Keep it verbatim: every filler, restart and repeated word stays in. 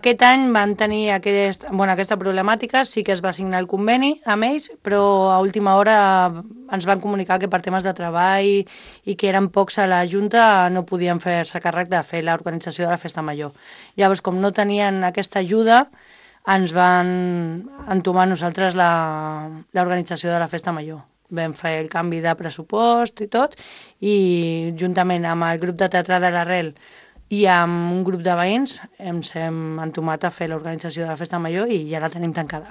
Aquest any van tenir aquest, bueno, aquesta problemàtica, sí que es va signar el conveni amb ells, però a última hora ens van comunicar que per temes de treball i que eren pocs a la Junta no podien fer-se càrrec de fer l'organització de la Festa Major. Llavors, com no tenien aquesta ajuda, ens van entomar nosaltres l'organització de la Festa Major. Vam fer el canvi de pressupost i tot, i juntament amb el grup de teatre de l'Arrel i amb un grup de veïns ens hem entomat a fer l'organització de la Festa Major i ja la tenim tancada.